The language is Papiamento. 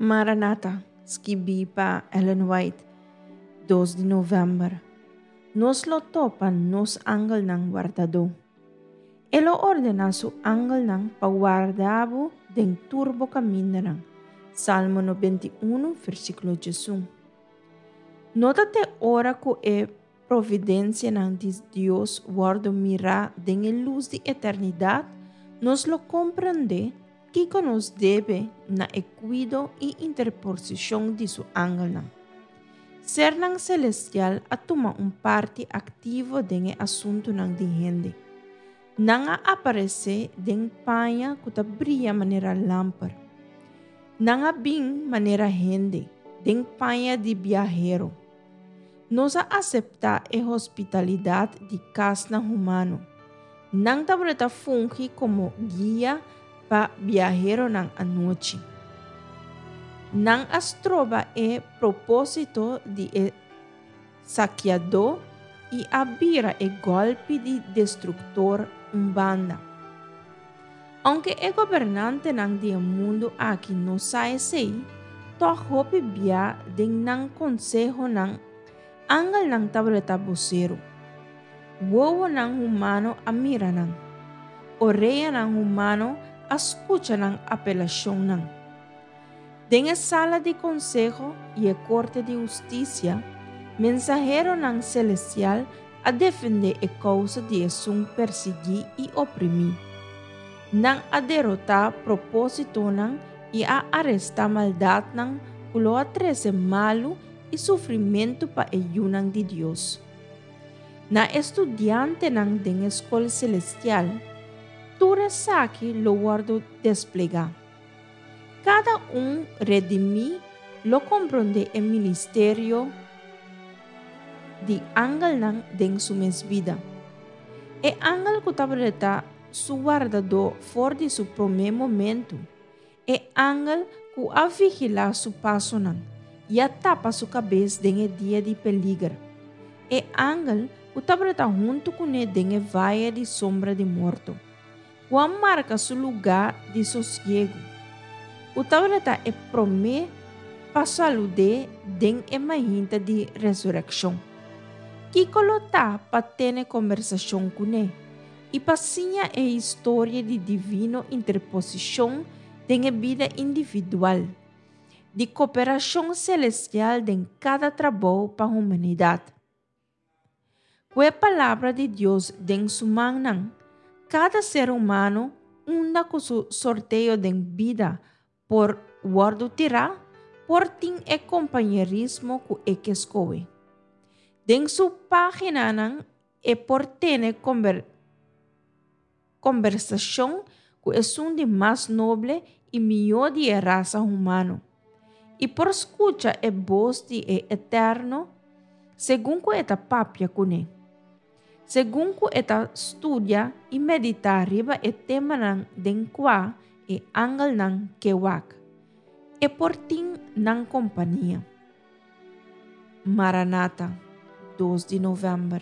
Maranata, skibí pa Ellen White, dos di novèmber. Nos lo topa nos angelnan wardadó. E lo ordená su angelnan pa warda bo den tur bo kamindanan. Salmo 91, versíkulo 11. No ta te ora ku e providensianan di Dios wòrdu mirá den e lus di eternidat, nos lo komprendé kiko nos debe na e kuido i interposishon di su angelnan. Sernan selestial a tuma un parti aktivo den e asuntunan di hende. Nan a aparesé den paña ku ta bria manera lamper. Nan a bin manera hende, den paña di biahero. Nos a aseptá e hospitalidat di kasnan humano. Nan tabata fungi komo guia pa biaheronan anochi. Nan a stroba e propósito di e sakeadó i a bira e gòlpi di destruktor un banda. Ounke e gobernantenan di e mundu aki no sa esei, tòg hopi bia den nan konsehonan angelnan tabata bosero. Wowonan humano a mira nan. Oreanan humano a skucha nan apelashonnan. Den e sala di konseho i e korte di hustisia, mensaheronan selestial a defendé e kousa di esun persiguí i oprimí. Nan a derotá propósitonan i a arestá maldatnan ku lo a trese malu i sufrimentu pa e yunan di Dios. Na e studiantenan den e skol selestial, tur esaki lo wòrdu desplegá. Kada un redimí lo komprondé e ministerio di angelnan den su mes bida. E angel ku tabata su wardadó for di su promé momentu, e angel ku a vigilá su pasonan i a tapa su kabes den e dia di peliger, e angel ku tabata huntu kuné den e vaye di sombra di morto, ku a marka su lugá di sosiegu, ku tabata e promé pa salud'é den e mainta di resurekshon. Kiko lo ta pa tene kombersashon kuné i pa siña e historia di divino interposishon den e bida individual, di koperashon selestial den kada trabou pa humanidat? Ku e Palabra di Dios den su mannan, kada ser humano unda ku su sorteo den bida por wòrdu tirá, por tin e kompañerismo ku e ke skohe. Den su páginanan e por tene kombersashon ku esun di mas noble i mihó di e rasa humano, i por skucha e bos di e Eterno segun ku e ta papia kuné. Segun ku e ta studia i meditá riba e temanan den kua e angelnan ke wak, e por tin nan kompania. Maranata, dos di novèmber.